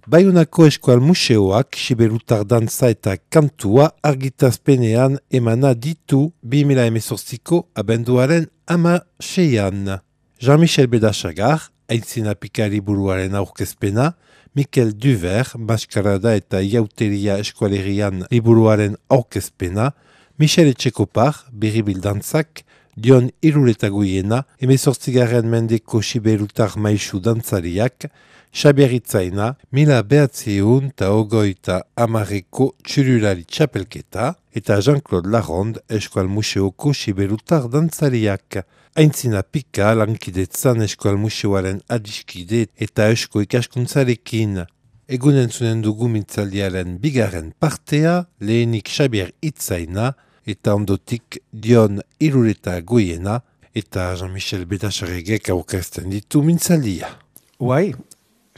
Baionako Eskual Museoak Siberutar dantza eta kantua argitazpenean emana ditu 2018ko abenduaren 16an. Jean-Michel Bedasagar, aintzina pikari buruaren aurkezpena, Mikel Duver, Maskarada eta Iauteria Eskualerian liburuaren aurkezpena, Michel Etxekopar, Biribil dantzak, Dion Iruretaguiena, 18. mendeko Siberutar maisu dantzariak, Xabier Itzaina, 1980ko txurulari txapelketa, eta Jean-Claude Laronde, Eskual Museoko Siberutar dantzariak. Aintzina pika lankidetzan Eskual Museoaren adiskide eta eusko ikaskuntzarekin. Egunen zunen dugu mintzaldiaren bigarren partea, lehenik Xabier Itzaina, eta ondotik Dion Iruretaguiena, eta Jean-Michel Bedasarregek aurkezten ditu mintzaldia. Uai,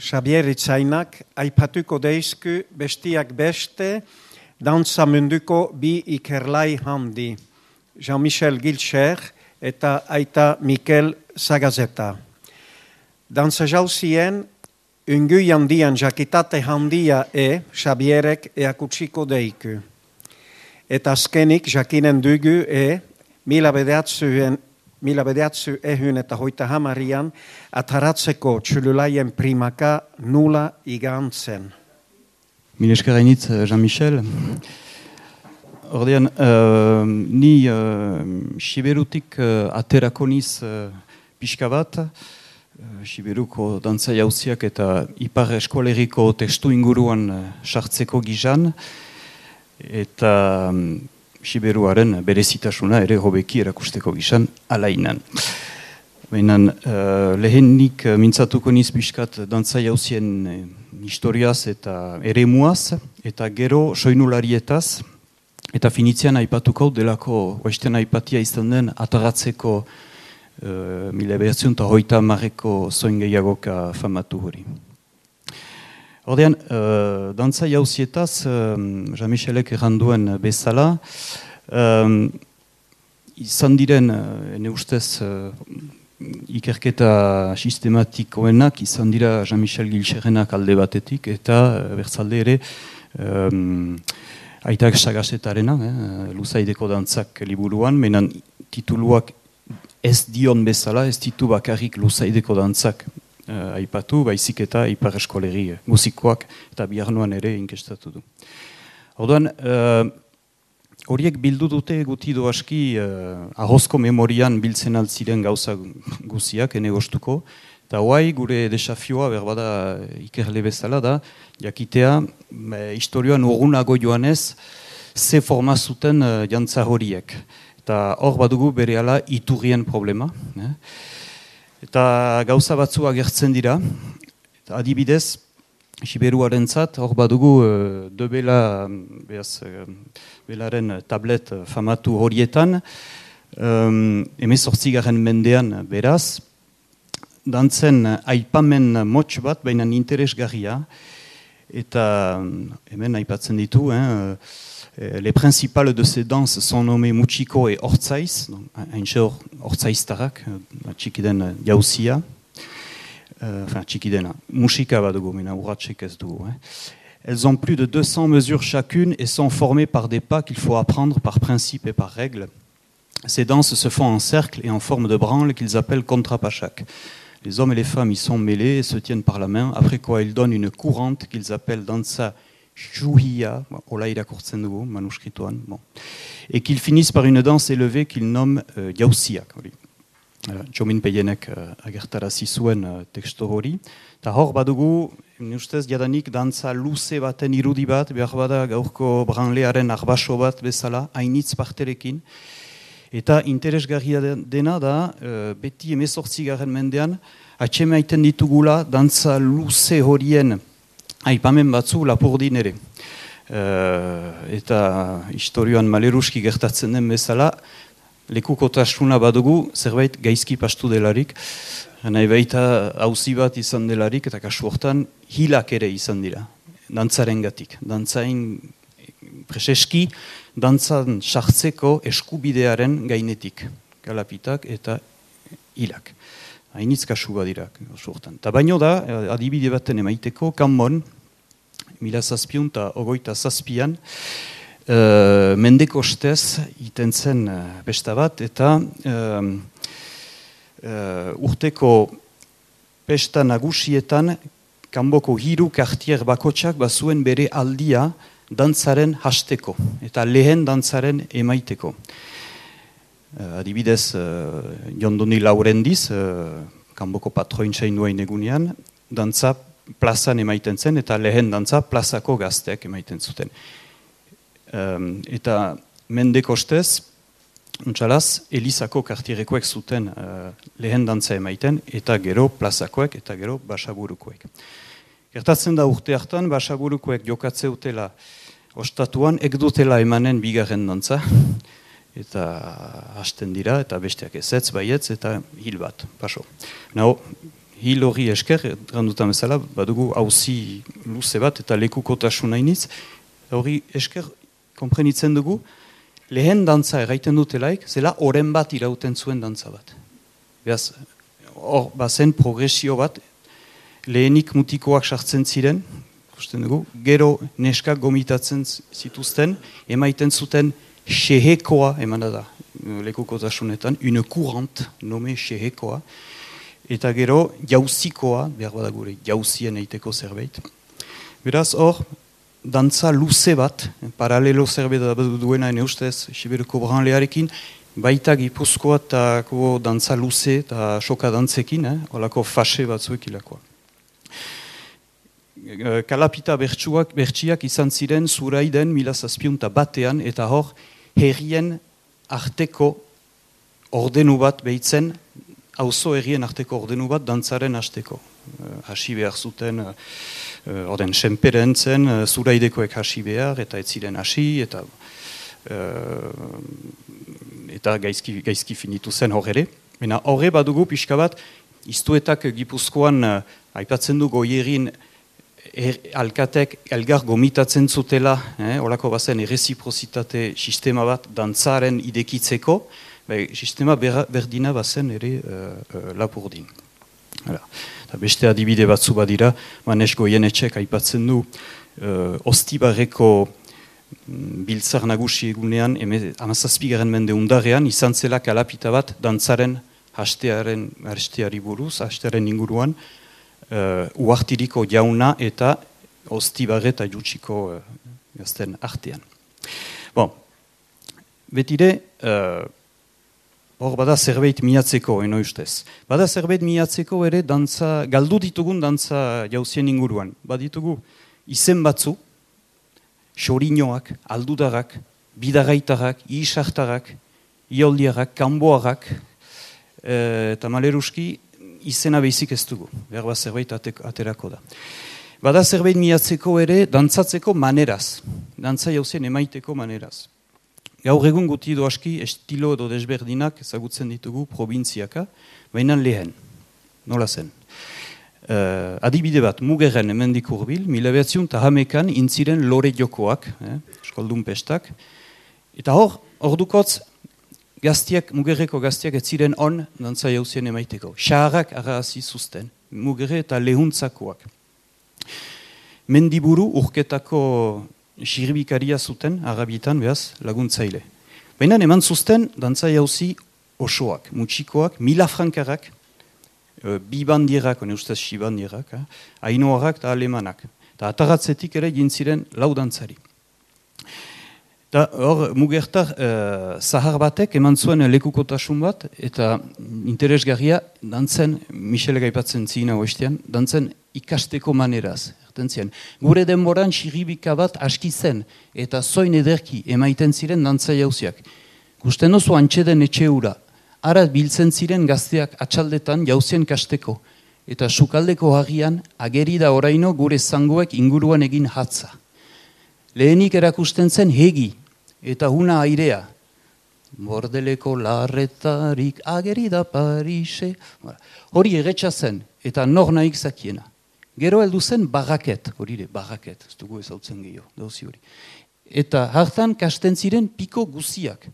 Xabier Itzainak aipatuko deizku bestiak beste dantza munduko bi ikerlai handi, Jean-Michel Gilcher eta aita Mikel Sagazeta. Dantza jauzien, ungui handian jakitate handia Xabierek eakutsiko deiku. Eta azkenik jakinen dugu mila bedeatzu ehun eta hoita hamarian ataratzeko txululaien primaka nula igantzen. Mil esker hainitz, Jean-Michel. Ordean, ni Siberutik aterako niz pixka bat, Siberuko dantza jauziak eta ipar eskoleriko testu inguruan sartzeko gizan, eta Siberuaren berezitasuna ere hobeki erakusteko gizan alainan. Baina lehenik mintzatuko niz biskat dantza jauzien historiaz eta eremuaz, eta gero soinularietaz, eta finitzean aipatuko delako, oesten aipatia izan den ataratzeko 1930ko zoin gehiagoka famatu hori. Ordean, dantza jauzietaz, Jean-Michelek erranduen bezala, izan diren, ene ustez, ikerketa sistematikoenak, izan dira Jean-Michel Gilcherrenak alde batetik, eta bertzalde ere, Aitak Sagasetarena, Luzaideko dantzak liburuan, menan tituluak ez dion bezala, ez ditu bakarrik Luzaideko dantzak aipatu, baizik eta ipar eskoleri musikoak eta biharnoan ere inkestatu du. Orduan, horiek bildu dute gutido aski ahozko memorian biltzen altziren gauza guziak, ene gostuko, eta hoai gure desafioa berbada ikerle bezala da, jakitea historioan urgunago joanez ze forma zuten jantza horiek. Eta hor badugu berehala iturrien problema. Eta gauza batzu agertzen dira, eta adibidez, Siberuarentzat hor badugu belaren tablet famatu horietan, 18. mendean beraz, dantzen aipamen motx bat, baina interesgarria, eta hemen aipatzen ditu, les principales de ces danses sont nommés Muchiko et Ortzaiz, haintxe Ortzaiztarrak, txikiden jauzia, txikidena, musika bat dugu, mena urratxek ez dugu. Elles ont plus de 200 mesures chacune et sont formées par des pas qu'il faut apprendre par principe et par règle. Ces danses se font en cercle et en forme de branle qu'ils appellent kontrapachak. Les hommes et les femmes y sont mêlés et se tiennent par la main, après quoi ils donnent une courante qu'ils appellent dansa Shuhiya, et qu'ils finissent par une danse élevée qu'ils nomment Yauzia. Jomin Peyenek agertarazi zuen teksto hori. Ta hor badugu, ustez jadanik dantza luze baten irudi bat, behar bada gaurko branlearen arbaso bat bezala, hainitz parterekin. Eta interesgarria dena da, beti 18. mendean, atxemaiten ditugula dantza luze horien aipamen batzu lapurdin ere. Eta historioan maleruski gertatzen den bezala, lekukotasuna badugu zerbait gaizki pastu delarik, nahi baita auzi bat izan delarik, eta kasu hortan hilak ere izan dira, dantzaren gatik. Dantzain preseski, dantzan sartzeko eskubidearen gainetik, galapitak eta hilak. Hainitz kasu badirak, oso hortan. Ta baino da, adibide baten emaiteko, Kanbon, 1727an, mendeko ostez iten zen besta bat, eta urteko pesta nagusietan kanboko 3 kartier bakotsak bazuen bere aldia dantzaren hasteko, eta lehen dantzaren emaiteko. Adibidez, Jondoni Laurendiz, kanboko patroin zainduain egunean, dantza plazan emaiten zen, eta lehen dantza plazako gazteak emaiten zuten. Eta mendeko ostez, untxalaz, Elizako kartierekoek zuten lehen dantza emaiten, eta gero plazakoek, eta gero basaburukoek. Gertatzen da urte hartan, basaburukoek jokatze utela ostatuan, dutela emanen bigarren dantza, eta hasten dira, eta besteak ezetz, baietz, eta hil bat, paso. Nao, hil hori esker, randutan bezala, badugu auzi luze bat, eta lekukotasun hainitz, hori esker, konprenitzen dugu, lehen dantza erraiten dutelaik, zela oren bat irauten zuen dantza bat. Beaz, hor, bazen progresio bat, lehenik mutikoak sartzen ziren, ikusten dugu, gero neskak gomitatzen zituzten, emaiten zuten xehekoa, emana da, lekukotasunetan, une courante, nome xehekoa, eta gero jauzikoa, behar badagure, jauzien eiteko zerbait. Beraz, hor, dantza luze bat, paralelo zerbait duena ene ustez, Siberuko branlearekin, baita Gipuzkoa eta dantza luze eta soka dantzekin, holako fase batzuek ilakoa. Kalapita bertsiak izan ziren Zuraiden 1701 eta hor herrien arteko ordenu bat behitzen, auzo herrien arteko ordenu bat dantzaren hasteko. Hasi behar zuten, orden senperen zen, Zuraidekoek hasi behar, eta ez ziren hasi, eta gaizki finitu zen hor ere. Baina horre badugu pixka bat, iztuetak Gipuzkoan aipatzen du goierin alkatek elgar gomitatzen zutela, horako bazen erreziprozitate sistema bat dantzaren idekitzeko, sistema berdina bazen ere Lapurdin. Beste adibide batzu badira, Manes Goienetxek aipatzen du Ostibarreko biltzar nagusi egunean, 17. mende undarrean, izan zela kalapita bat dantzaren hasteari buruz, hastearen inguruan, uartiriko jauna eta Ostibarre eta Jutsiko gazten artean. Bon, betire, hor bada zerbait miatzeko, eno ustez. Bada zerbait miatzeko ere dantza, galdu ditugun dantza jauzien inguruan. Baditugu izen batzu, xorinoak, aldudarrak, bidarraitarrak, isartarrak, ioldiarrak, kanboarrak, eta maleruski izena behizik ez dugu. Behar bat zerbait aterako da. Bada zerbait miatzeko ere dantzatzeko maneraz. Dantza jauzien emaiteko maneraz. Gaur egun guti edo aski estilo edo desberdinak ezagutzen ditugu probintziaka, baina lehen. Nola zen? Adibide bat, Mugerren hemendik hurbil, 1911an intziren lore jokoak, eskoldun pestak, eta hor dukotz gaztiak, Mugerreko gaztiak ez ziren on dantza jauzien emaiteko. Xaharrak arrazi zuzten, Mugerre eta lehuntzakoak. Mendiburu urketako xirbikaria zuten, Arabietan, behaz, laguntzaile. Baina eman zuzten dantza jauzi osoak, mutxikoak, 1000 frankarrak, bi bandierak, one ustez si bandierak, ainoarrak eta alemanak. Eta ataratzetik ere jintziren lau dantzari. Eta hor, Mugertar zahar batek eman zuen lekukotasun bat, eta interesgarria dantzen, Michele gaipatzen zina oestean, dantzen ikasteko maneraz. Gure denboran xiribika bat aski zen, eta zoin ederki emaiten ziren dantza jauziak. Gusten oso antxeden etxe hura, ara biltzen ziren gazteak atxaldetan jauzien kasteko, eta sukaldeko hagian ageri da oraino gure zangoek inguruan egin hatza. Lehenik erakusten zen hegi, eta huna airea. Bordeleko larretarik ageri da Parise. Hori erretxa zen, eta nor nahik zakiena. Gero heldu zen barraket, hori barraket, ez dugu ezautzen gehiago, dauzi hori. Eta hartan kasten ziren piko guziak.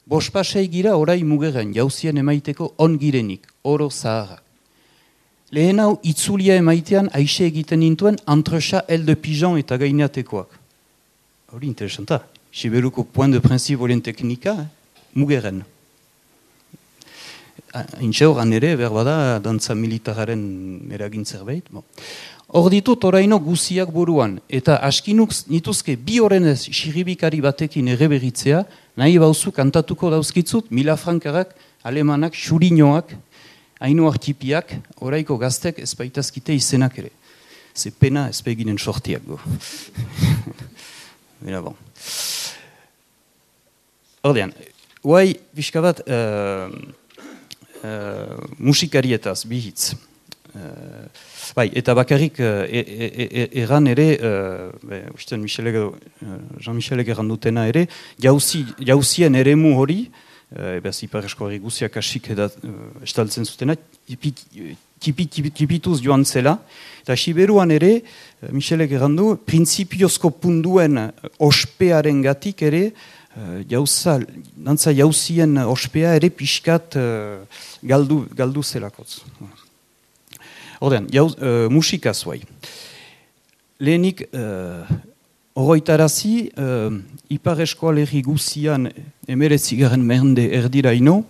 Bospasei gira orai Mugerren jauzien emaiteko ongirenik, oro zaharrak. Lehen hau, itzulia emaitean, aixe egiten nintuen, entrecha el de pijan eta gaineatekoak. Hori interesanta. Siberuko point de principe horien teknika, mugeren. Intxe horan ere, berbada, dantza militararen eragin zerbait. Hor ditut oraino guziak buruan, eta askinuk nituzke bi horrenez xiribikari batekin ere berritzea, nahi bauzu kantatuko dauzkitzut, 1000 frankarak, alemanak, xurinoak, hainu artipiak, oraiko gaztek ezbaitazkite izenak ere. Ze pena ezpeginen sortiak go. Bera bon. Ordean, guai, pixka bat, musikarietaz, bihitz. Bai, eta bakarrik erran ere, Jean-Michelek erran dutena ere, jauzien eremu hori, Ipar Eskoari guziak asik estaltzen zutena, tipituz joan zela, eta Siberuan ere, Michelek errandu, prinsipiozko punduen ospearen gatik ere, dantza jauzien ospea ere pixkat galdu zelakotz. Ordean, musikaz guai. Lehenik, oroitarazi, Ipar Eskoalerri guzian 19. mende erdiraino,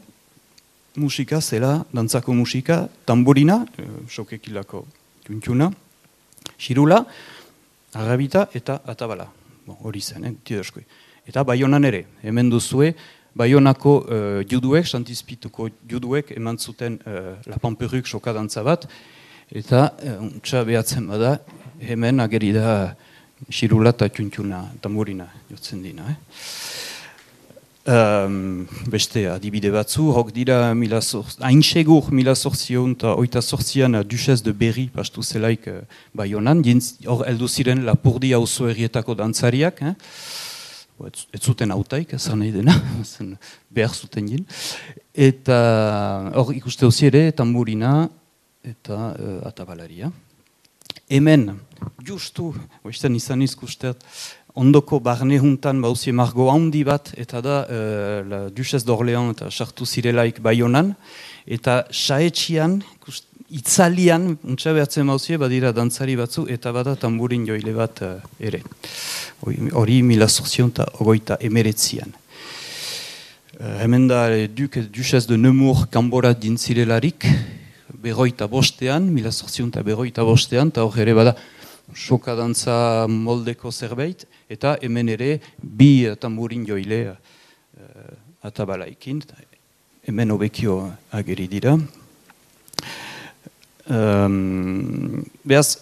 musika zela, dantzako musika, tamburina, sokekilako tuntuna, xirula, arrabita eta atabala. Hori zen, tiderskoi. Eta Baionan ere, hemen duzue, Baionako juduek, Santizpituko juduek, eman zuten La Pamperuk sokadantza bat, eta untsa behatzen bada, hemen ageri da xirula eta tuntuna, tamburina, jotzen dina. Beste adibide batzu, hok dira hain segur 1808an Duchesse de Berry pastu zelaik Baionan, hor heldu ziren Lapurdi auzo herrietako dantzariak, ez zuten hautaik, ezan nahi dena, behar zuten jin, eta hor ikuste hozi ere tamburina eta atabalaria. Hemen, justu, oizten izan izkustet, ondoko barne juntan bauzie margo handi bat, eta da la Duchesse d'Orléans eta sartu zirelaik Baionan, eta saetxian, itzalian, untsa behatzen bauzie, badira dantzari batzu, eta bada tamburin joile bat ere. Hori 1829an. Hemen da Duchesse de Nemours kanbora dintzirelarik, 1805an, eta hor ere bada sokadantza moldeko zerbait, eta hemen ere bi tamburin joile atabalaikin, hemen hobekio ageri dira. Behaz,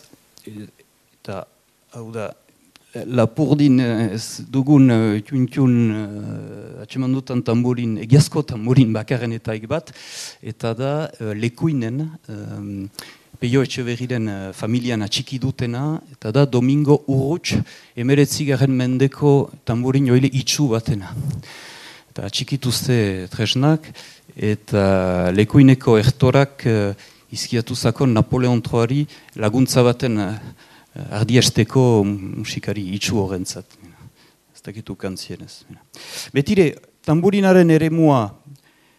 eta hau da, Lapurdin ez dugun tuntun atseman dutan tamburin, egiazko tamburin bakarren bat, eta da lekuinen, Peio Etxeberriren familian atxiki dutena, eta da Domingo Urruts 19. mendeko tamburin joile itxu batena. Eta atxikituzte tresnak, eta lekuineko ertorak izkiatuzako Napoleon IIIari laguntza baten ardiesteko musikari itxu horrentzat. Ez dakitu kantzienez. Betire, tamburinaren eremua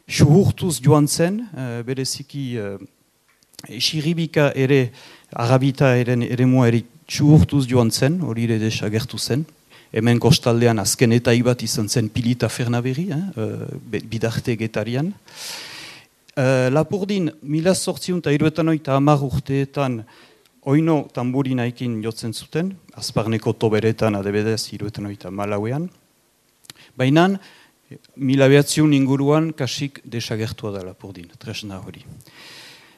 suhurtuz joan zen, bereziki Xiribika ere, arabita eremua ere suhurtuz joan zen, hori ere desagertu zen. Hemen kostaldean azken eta ibat izan zen Pilita Fernaberri, bidarte getarian. Lapurdin, 1870 urteetan oino tamburinaikin jotzen zuten, azparneko toberetan adebedez 1904an. Baina, 1900 inguruan kasik desagertua da Lapurdin, tresna hori.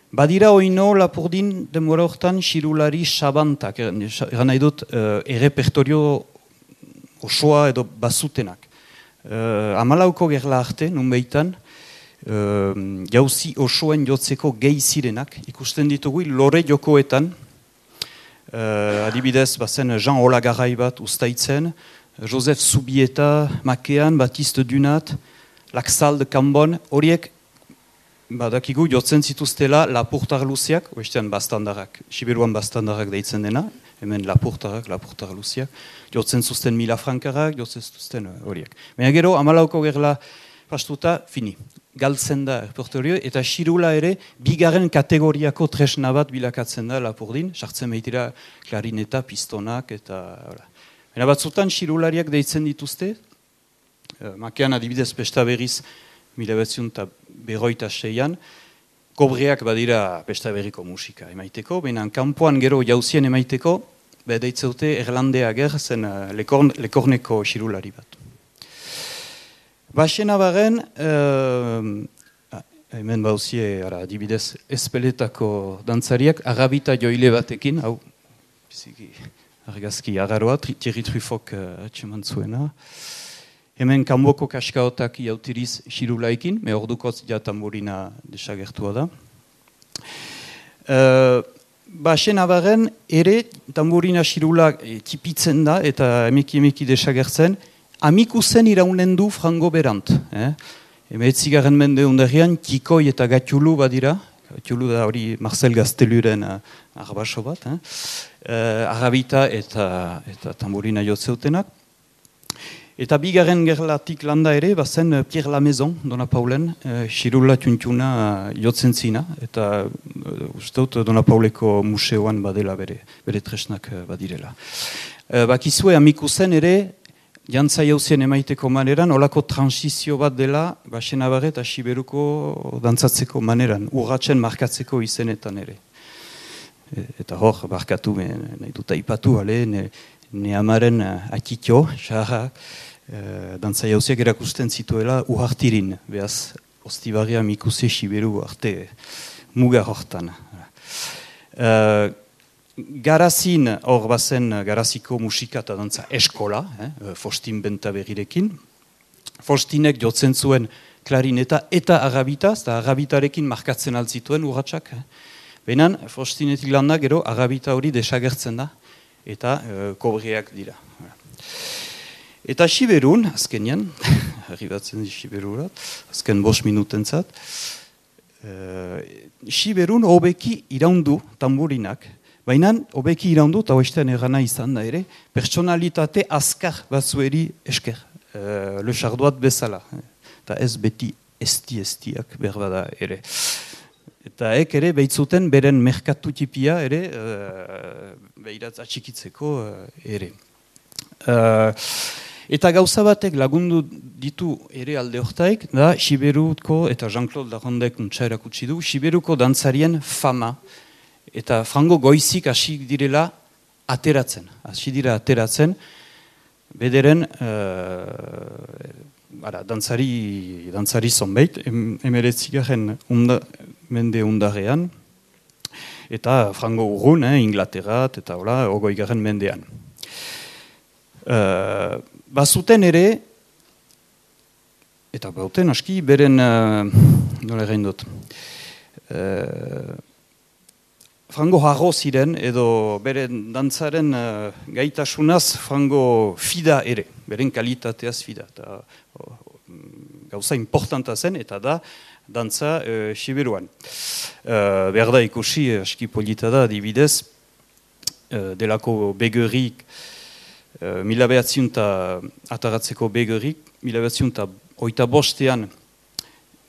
Badira oino Lapurdin denbora hortan xirulari sabantak, eran nahi dut errepertorio osoa edo bazutenak. Amalauko gerla arte, nun behitan, jauzi osoen jotzeko gehi zirenak, ikusten ditugu lore jokoetan, adibidez, bazen Jean Olagarai bat ustaitzen, Joseph Zubieta Makean, Baptiste Dunat, Laxal de Cambon, horiek badakigu jotzen zituztela lapurtar luziak, oestean bastandarrak, Siberuan bastandarrak deitzen dena, hemen lapurtar luziak, jotzen zuzten 1000 frankarak, jotzen zuzten horiek. Baina gero, amalauko gerla pastuta, fini. galtzen da repertorio, eta xirula ere bigarren kategoriako tresna bat bilakatzen da Lapurdin, sartzen behitira klarineta, pistonak, eta... Baina batzutan xirulariak deitzen dituzte, makean adibidez pesta berriz 1956an, kobreak badira pesta berriko musika emaiteko, baina kanpoan gero jauzien emaiteko, deitzeute Erlandea ger zen lekorneko xirulari bat. Baxena baren, hemen bauzie, adibidez, espeletako dantzariak, arabita joile batekin, hau, biziki, argazki agaroa, Thierry Truffok atxeman zuena. Hemen kanboko kaskaotak jautiriz xirulaikin, me ordukotz ja tamburina desagertua da. Baxena baren, ere, tamburina xirula tipitzen da, eta emeki desagertzen, amikuzen iraunen du frango berant. Emeetzigarren mende undarrian, Kikoi eta Gatxulu badira. Gatxulu da hori Marcel Gazteluren arbaso bat. Arabita eta tamburina jotzeutenak. Eta bigarren gerlatik landa ere, bazen Pierre Lamaison, Dona Paulen, xirula tuntuna jotzen zina. Eta usteut Dona Pauleko museoan badela bere tresnak badirela. Bakizue amikuzen ere, jantza jauzien emaiteko maneran, olako transizio bat dela, Baxena Barre eta Siberuko dantzatzeko maneran, urratzen markatzeko izenetan ere. Eta hor, barkatu, nahi dut aipatu, ne amaren akitio, xarra, dantza jauziak erakusten zituela uhartirin, behaz, Ostibarria Mikuse Siberu arte muga hortan. Garazin, hor bazen Garaziko musika eta dantza eskola, Faustin Bentaberrirekin. Faustinek jotzen zuen klarineta eta arabita, eta arabitarekin markatzen altzituen urratsak. Benan, Faustinetik landa gero arabita hori desagertzen da, eta kobreak dira. Eta Siberun, azkenian, arribatzen di Siberurat, azken 5 minutentzat, Siberun hobeki iraundu tamburinak, baina hobeki iraundu, eta hoestean erana izan da ere, pertsonalitate azkar batzueri esker, Le Chardoat bezala, eta ez beti estiak berbada ere. Eta ere behitzuten beren merkatu tipia ere, behiratz atxikitzeko ere. Eta gauza batek lagundu ditu ere alde hortaik, da Siberuko, eta Jean-Claude Larondek untsa erakutsi du, Siberuko dantzarien fama, eta frango goizik hasi direla ateratzen. Hasi dira ateratzen, bederen dantzari zonbeit, emeretzigaren mende undarrean, eta frango urrun, Inglaterrat, eta hola, 20. mendean. Bazuten ere, eta bauten aski, beren, nola egin dut, frango harro ziren, edo beren dantzaren gaitasunaz frango fida ere, beren kalitateaz fida. Eta, gauza importanta zen, eta da, dantza Siberuan. Behar da ikusi, aski polita da, adibidez, delako begerik, 1900 ataratzeko begerik, 1985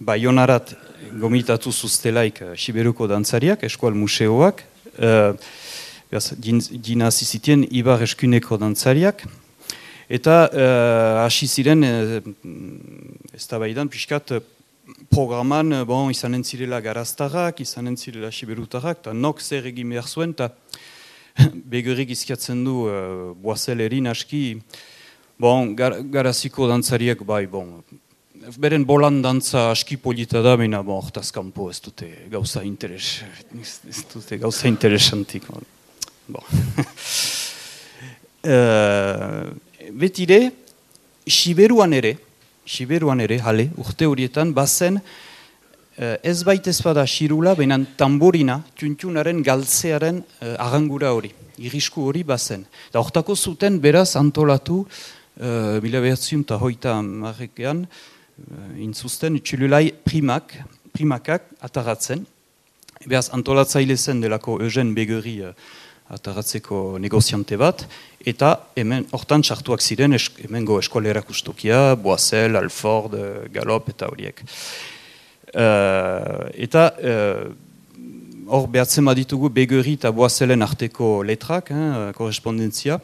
Baionarat gomitatu zuztelaik Siberuko dantzariak, eskual museoak, dina zizitien Ibar eskuneko dantzariak, eta hasi ziren, ez da baidan, pixkat programan izanen zirela garaztarrak, izanen zirela Siberutarrak, eta nok zer egin behar zuen, eta begerik izkiatzen du boazelerin aski, garaziko dantzariak beren bolan dantza aski polita da, baina hortaz kanpo ez dute gauza interesantik. Betire, Siberuan ere, urte horietan, bazen ez baitez bada xirula, baina tamburina, tuntunaren galtzearen arangura hori, irrisku hori bazen. Da hortako zuten beraz antolatu, 1930 intzuzten txululai primakak ataratzen. Beraz antolatzaile zen delako Eugen Begeri ataratzeko negoziante bat, eta hemen hortan sartuak ziren hemengo eskolera kustokia, Boisel, Alford, Galop eta horiek. Eta hor behatzen baditugu Begeri eta Boazelen arteko letrak, korrespondentzia.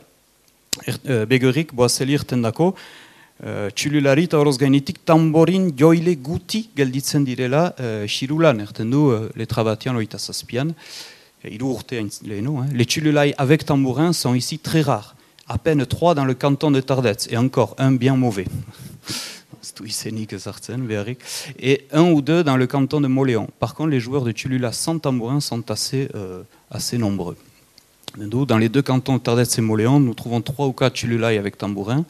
Begerik Boazeli irten dako, txululari eta horoz gainetik tamborin joile guti gelditzen direla xirulan, erten du letra batian oita zazpian, hiru urte leheno. Les txululai avec tambourin sont ici très rares, à peine 3 dans le canton de Tardets, et encore un bien mauvais. Et 1 ou 2 dans le canton de Moléon. Par contre, les joueurs de Tchulula sans tambourin sont assez nombreux. Dans les 2 cantons de Tardets et Moléon, nous trouvons 3 ou 4 Tchululai avec tambourin.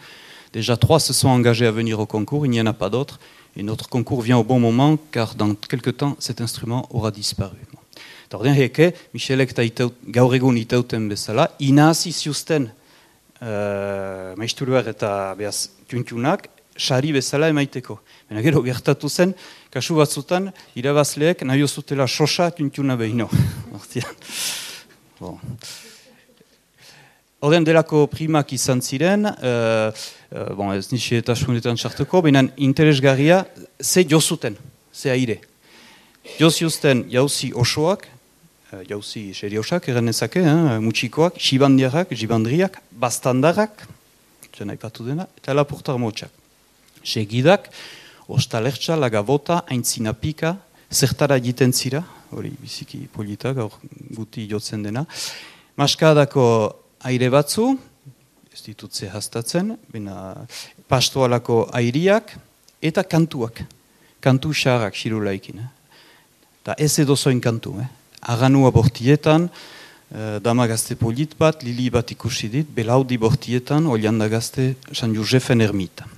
Déjà 3 se sont engagés à venir au concours, il n'y en a pas d'autres. Et notre concours vient au bon moment, car dans quelques temps, cet instrument aura disparu. Tordien heke, Michelek gaur egun itauten bezala, inazi ziusten maistuluak eta behaz tuntunak, sari bezala emaiteko. Baina gero gertatu zen, kasu batzutan, irabazleek nahi zutela sosa tuntuna behino. Orden delako primak izan ziren, ez nixi eta sunetan txartuko, baina interesgarria, ze jozuten, ze aire. Joziuzten jauzi osoak, jauzi seriosak eranezake, mutxikoak, jibandriak, bastandarrak, zen aipatu dena, eta lapurtar motxak. Segidak, ostalertxa, lagabota, aintzinapika, zertara egiten zira, hori biziki politak, gaur guti jotzen dena. Maskadako aire batzu, ez ditutze hastatzen, pastoalako airiak, eta kantuak, kantu xarrak xirulaikin. Eta ez edozoin kantu, Aganua bortietan, dama gazte polit bat, lili bat ikusi dit, belaudi bortietan, olianda gazte San Josefen ermita.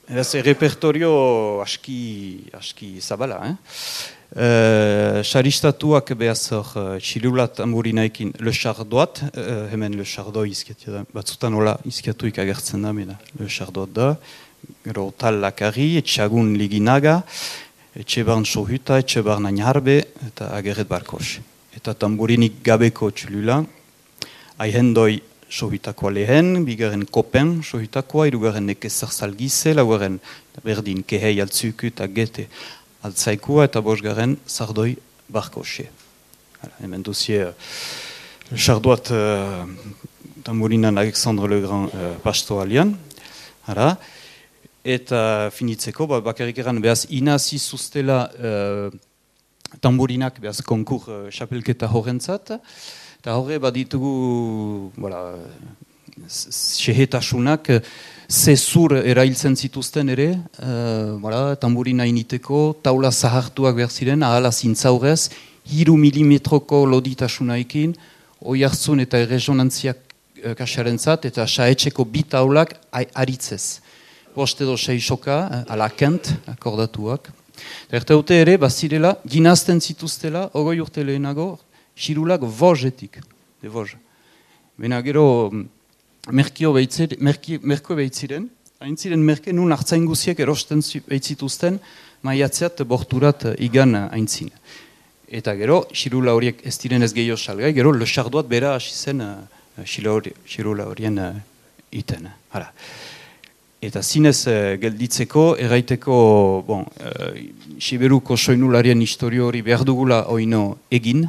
Ez repertorio aski zabala, Saristatuak behaz hor txilulat amurinaekin Le Chardoat, hemen Le Chardoi izkiatu batzutan hola izkiatuik agertzen da, Le Chardoat da, gero Tal Lakari, Etxagun Liginaga, Etxebarn Sohuta, Etxebarn Añarbe, eta Ageret Barkos. Eta tamburinik gabeko txilula, Aihendoi Sohutakoa lehen, bigaren Kopen Sohutakoa, irugarren Nekezer Zalgize, laugarren berdin Kehei Altzuku eta Gete Altzaikua, eta bosgarren Sardoi Barkose. Hemen duzie Chardoat tamburinan Alexandre le Grand pastoalian. Eta finitzeko, bakarrik eran behaz inazi zuztela tamburinak behaz konkur xapelketa horrentzat. Eta horre baditugu sehetasunak zezur erailtzen zituzten ere, tamburina initeko, taula zahartuak behar ziren, ahala zintzaurez, 3 milimetroko loditasunaekin, oihartzun eta erresonantziak kasarentzat, eta saetxeko bi taulak aritzez. 5 edo 6 soka, ala kent, akordatuak. Erteute ere, bazirela, ginazten zituztela, 20 urte lehenago, xirulak vozetik, de voz. Bena gero, merko behitziren, hain ziren merke nun hartzain guziek erosten behitzituzten, maiatzeat borturat igan haintzin. Eta gero, xirula horiek ez diren ez gehiago salgai, gero, Le Chardoat bera hasi zen xirula horien iten. Eta zinez gelditzeko, erraiteko, Siberuko soinularien historio hori behar dugula oino egin,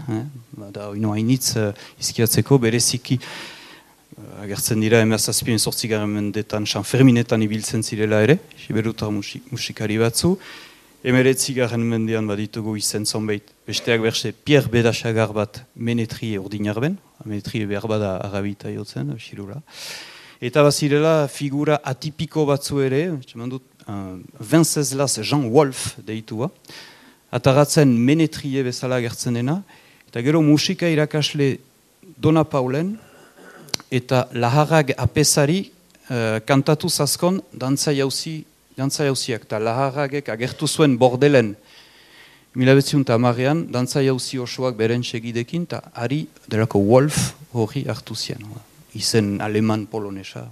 oino hainitz izkiatzeko, bereziki agertzen dira emazazpien 8. mendetan, San Ferminetan ibiltzen zirela ere, Siberutar musikari batzu, 19. mendean baditugu izen zonbait, besteak berse Pierre Bedasagar bat menetrie ordinarben, menetrie behar bada arabita jotzen, xirula. Eta bazirela figura atipiko batzu ere, Venceslas Jean Wolf deitua, ataratzen menetrie bezala gertzen dena, eta gero musika irakasle Dona Paulen, eta laharrak apesari kantatu zazkon dantza jauziak, eta laharragek agertu zuen bordelen 1910an, dantza jauzi osoak beren segidekin, eta ari delako Wolf hori hartu zian. Izen aleman polonesa.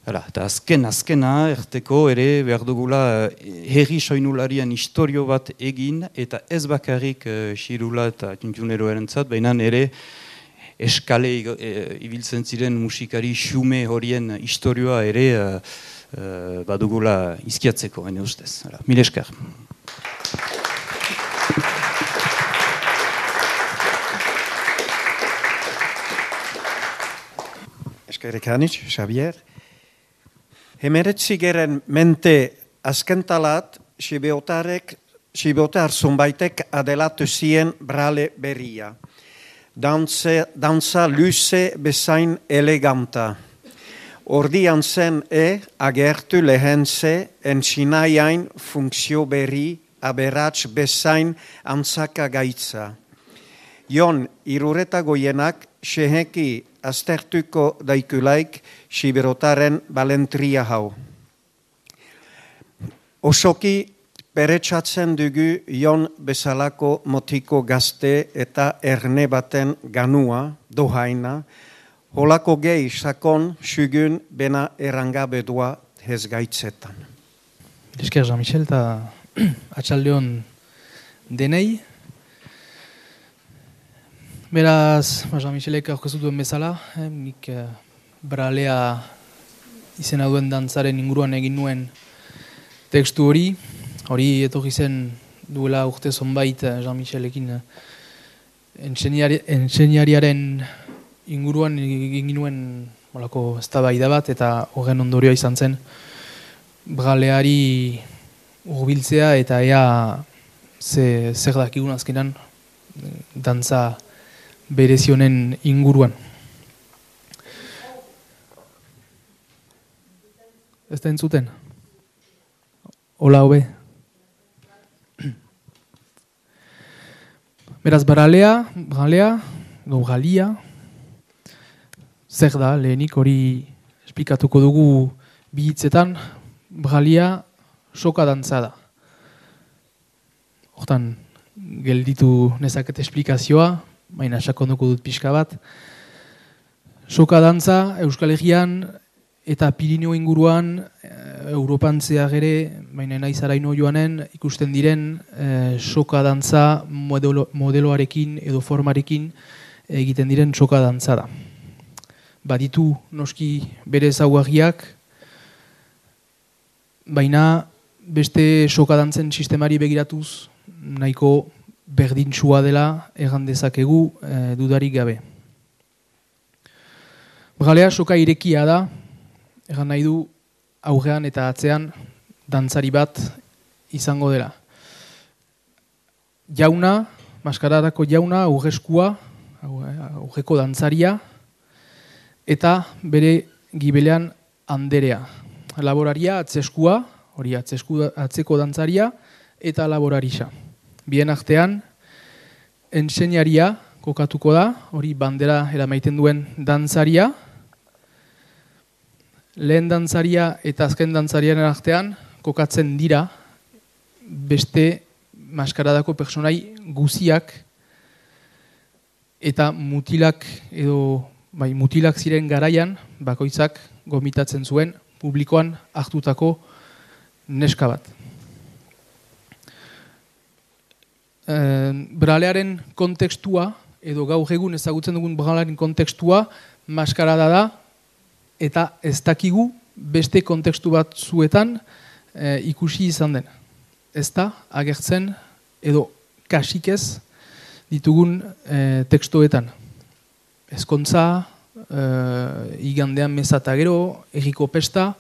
Eta azkena erteko ere behar dugula herri soinularien historio bat egin, eta ez bakarrik xirula eta tuntunero erantzat, baina ere eskale ibiltzen ziren musikari xume horien historioa ere badugula izkiatzeko, ene ustez. Mil esker. Eskerrik anitz, Xavier. Hemeretzigeren mente azkentalat, Sibiotar zonbaitek adelatu zien brale berria. Dantza luze bezain eleganta. Ordian zen agertu lehen ze entxinaiain funtzio berri aberats bezain antzaka gaitza. Jon irureta goienak seheki aztertuko daikulaik Sibirotaren balentria hau. Osoki peretsatzen dugu Jon bezalako motiko gazte eta erne baten ganua, dohaina, holako gehi sakon sugun bena erangabedua hezgaitzetan. Esker Jean-Michel eta atxaldeon denei. Beraz, Jean-Michelek aurkeztu duen bezala, nik bralea izena duen dantzaren inguruan egin nuen tekstu hori etorri zen duela urte zonbait Jean-Michelekin enseñariaren inguruan egin nuen eztabaida bat eta horren ondorioa izan zen braleari hurbiltzea eta ea zer dakigun azkenan dantza berezionen inguruan. Ez da entzuten? Hola, hobe. Beraz, bralea, galia, zer da, lehenik hori esplikatuko dugu bi hitzetan, bralia soka dantza da. Hortan, gelditu nezaket esplikazioa, baina sakonduko dut pixka bat. Soka dantza Euskal Herrian eta Pirineo inguruan, Europan zehar ere, baina naizaraino joanen, ikusten diren soka dantza modeloarekin edo formarekin egiten diren soka dantza da. Baditu noski bere ezaugarriak, baina beste soka dantzen sistemari begiratuz nahiko berdintsua dela egan dezakegu dudarik gabe. Bralea soka irekia da, egan nahi du aurrean eta atzean dantzari bat izango dela. Jauna, maskaradako jauna, aurreskua, aurreko dantzaria, eta bere gibelean anderea. Laboraria atzeskua, hori atzeko dantzaria, eta laborarisa. Bien artean, enseñaria kokatuko da, hori bandera eramaiten duen dantzaria. Lehen dantzaria eta azken dantzariaren artean kokatzen dira beste maskaradako personai guziak eta mutilak ziren garaian bakoitzak gomitatzen zuen publikoan hartutako neska bat. Bralearen kontekstua, edo gaur egun ezagutzen dugun bralearen kontekstua, maskarada da, eta ez dakigu beste kontekstu bat zuetan ikusi izan den. Ez da, agertzen, edo kasikez ditugun tekstoetan. Ezkontza, igandean meza eta gero, erriko pesta,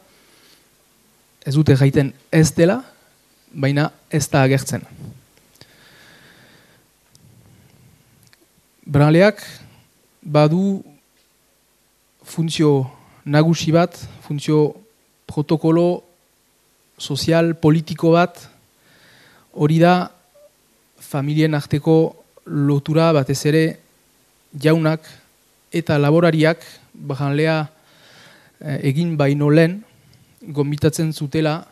ez dute gaiten ez dela, baina ez da agertzen. Braleak badu funtzio nagusi bat, funtzio protokolo sozial, politiko bat, hori da familien arteko lotura batez ere jaunak eta laborariak bralea egin baino lehen gonbitatzen zutela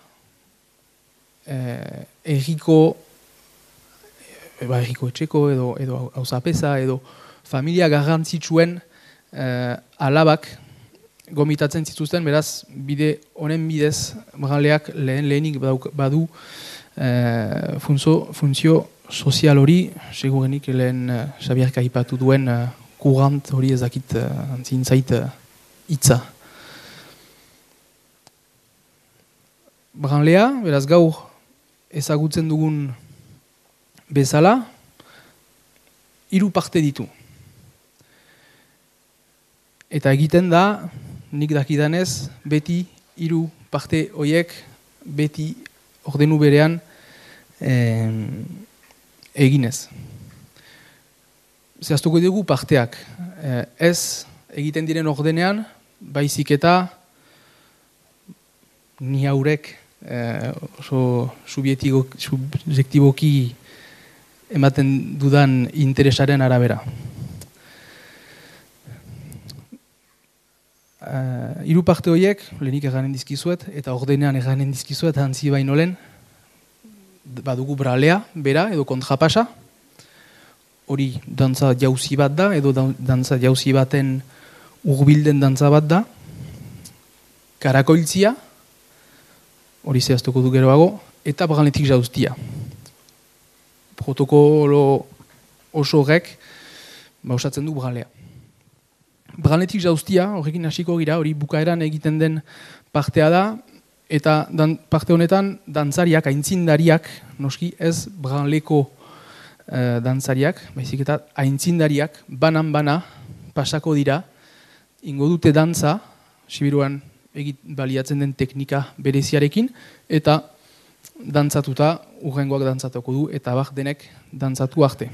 erriko etxeko edo auzapeza edo familia garrantzitsuen alabak gomitatzen zituzten, beraz, bide honen bidez braleak lehenik badu funtzio sozial hori, segurenik lehen Xabier aipatu duen kurant hori ezakit antzintzait hitza. branlea, beraz gaur ezagutzen dugun bezala, 3 parte ditu. Eta egiten da, nik dakidanez, beti 3 parte horiek, beti ordenu berean eginez. Zehaztuko dugu parteak. Ez egiten diren ordenean, baizik eta ni haurek oso subjektiboki ematen dudan interesaren arabera. 3 parte horiek, lehenik eganen dizkizuet, eta ordenean eganen dizkizuet, hantzi baino lehen, badugu bralea, bera, edo kontrapasa, hori dantza jauzi bat da, edo dantza jauzi baten urbilden dantza bat da, karakoiltzia, hori zehaztuko du geroago, eta braletik jauztia. Protokolo oso horrek, osatzen du bralea. Braletik jauztia, horrekin hasiko gira, hori bukaeran egiten den partea da, eta parte honetan dantzariak, aintzindariak, noski ez branleko dantzariak, baizik eta aintzindariak, banan-bana pasako dira, ingo dute dantza, Sibiruan baliatzen den teknika bereziarekin, eta dantzatuta, urrengoak dantzatuko du, eta bak denek dantzatu arte.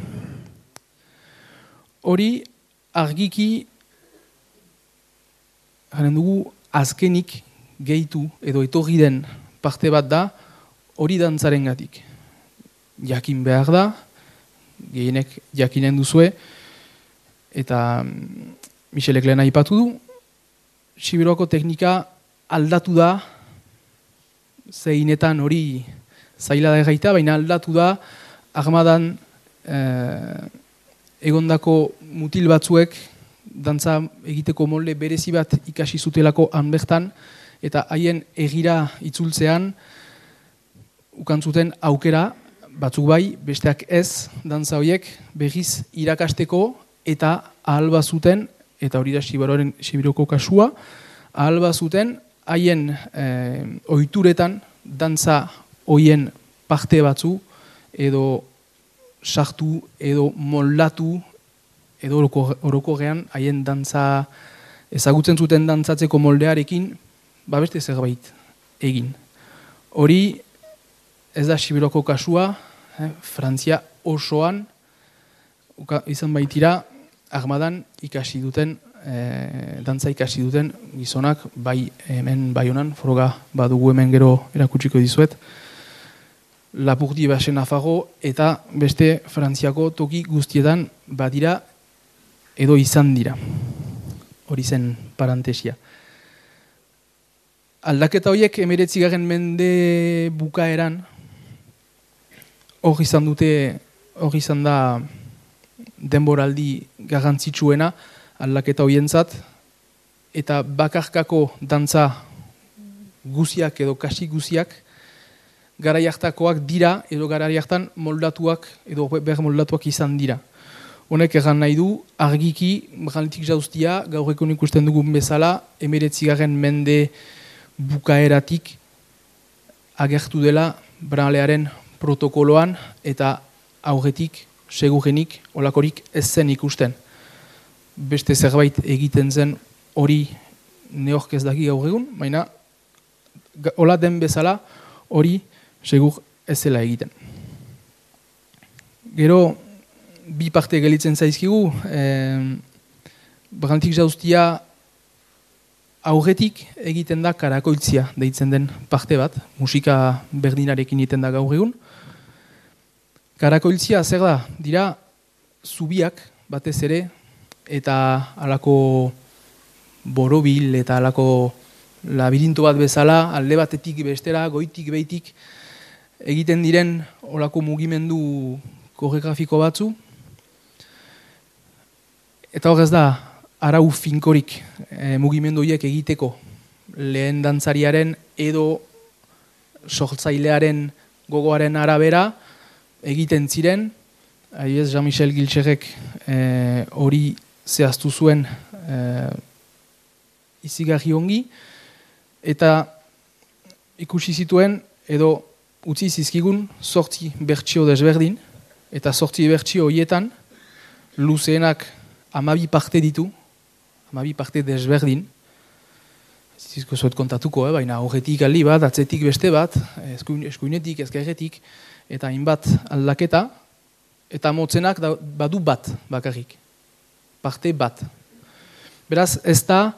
Hori argiki garen dugu azkenik gehitu edo etorri den parte bat da hori dantzaren gatik. Jakin behar da, gehienek jakinen duzue, eta Michelek lehen aipatu du, Sibiruako teknika aldatu da, zeinetan hori zaila da egaita, baina aldatu da armadan egondako mutil batzuek dantza egiteko molde berezi bat ikasi zutelako han bertan, eta haien egira itzultzean ukantzuten aukera, batzuk bai, besteak ez, dantza horiek berriz irakasteko eta ahal bazuten, eta hori da Sibiroko kasua, ahal bazuten haien ohituretan dantza horien parte batzu edo sartu edo moldatu edo orokorrean haien dantza ezagutzen zuten dantzatzeko moldearekin beste zerbait egin. Hori ez da Sibiroko kasua, Frantzia osoan izan baitira armadan ikasi duten, dantza ikasi duten gizonak, bai hemen bai honan, froga badugu hemen gero erakutsiko dizuet, Lapurdi Basen Nafarro eta beste Frantziako toki guztietan badira edo izan dira. Hori zen parantesia. Aldaketa horiek 19. mende bukaeran hor izan da denboraldi garrantzitsuena aldaketa horientzat, eta bakarkako dantza guziak edo kasi guziak garai hartakoak dira edo garai hartan moldatuak edo ber moldatuak izan dira. Honek egan nahi du, argiki, braletik jauztia, gaur egun ikusten dugun bezala, 19. mende bukaeratik agertu dela bralearen protokoloan eta aurretik, segurenik, olakorik ez zen ikusten. Beste zerbait egiten zen hori neork ez daki gaur egun, baina hola den bezala hori segur ez zela egiten. Gero, bi parte gelitzen zaizkigu, braletik jauztia aurretik egiten da karakoiltzia deitzen den parte bat, musika berdinarekin egiten da gaur egun. Karakoiltzia zer da? Dira zubiak batez ere, eta halako borobil eta halako labirinto bat bezala, alde batetik bestera, goitik behitik egiten diren halako mugimendu koreografiko batzu. Eta hor ez da, arau finkorik mugimendu horiek egiteko lehen dantzariaren edo sortzailearen gogoaren arabera egiten ziren. Adibidez, Jean-Michel Giltxerrek hori zehaztu zuen izigarri ongi, eta ikusi zituen edo utzi zizkigun 8 bertsio desberdin, eta 8 bertsio horietan luzeenak 12 parte ditu, 12 parte desberdin, zizko zuet kontatuko, baina horretik aldi bat, atzetik beste bat, eskuinetik, ezkerretik, eta hainbat aldaketa, eta motzenak badu bat bakarrik, parte bat. Beraz, ez da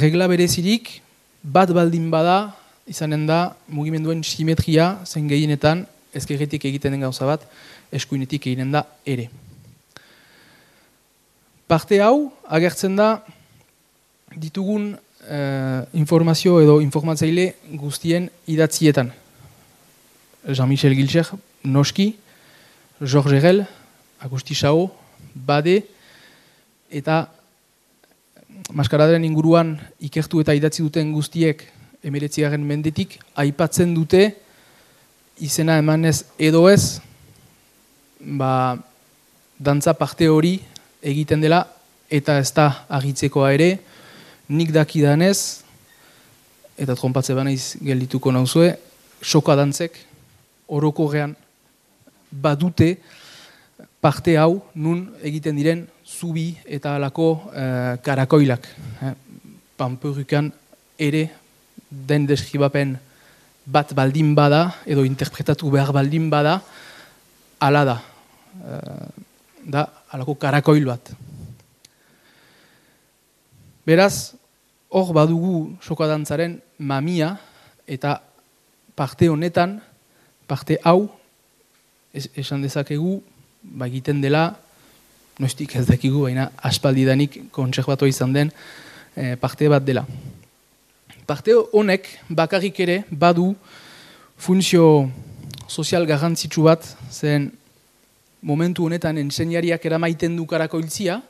regla berezirik, bat baldin bada, izanen da mugimenduen simetria zen gehienetan ezkerretik egiten den gauza bat, eskuinetik egiten da ere. Parte hau agertzen da ditugun informazio edo informatzaile guztien idatzietan. Jean-Michel Gilcher, noski, Georges Herel, Agusti Sao, Bade, eta maskaradaren inguruan ikertu eta idatzi duten guztiek 19. mendetik aipatzen dute izena emanez edo ez, dantza parte hori egiten dela eta ez da agitzekoa ere, nik dakidanez, eta trompatze banaiz geldituko nauzue, soka dantzek orokorrean badute parte hau nun egiten diren zubi eta alako karakoilak. Panperukan ere den deskribapen bat baldin bada, edo interpretatu behar baldin bada, ala da. Da, alako karakoil bat. Beraz, hor badugu sokadantzaren mamia, eta parte honetan, parte hau, esan dezakegu, egiten dela, noiztik ez dakigu, baina aspaldidanik kontserbatua izan den parte bat dela. Parte honek bakarrik ere badu funtzio sozial garrantzitsu bat, zen momentu honetan enseñariak eramaiten du karakoiltzia,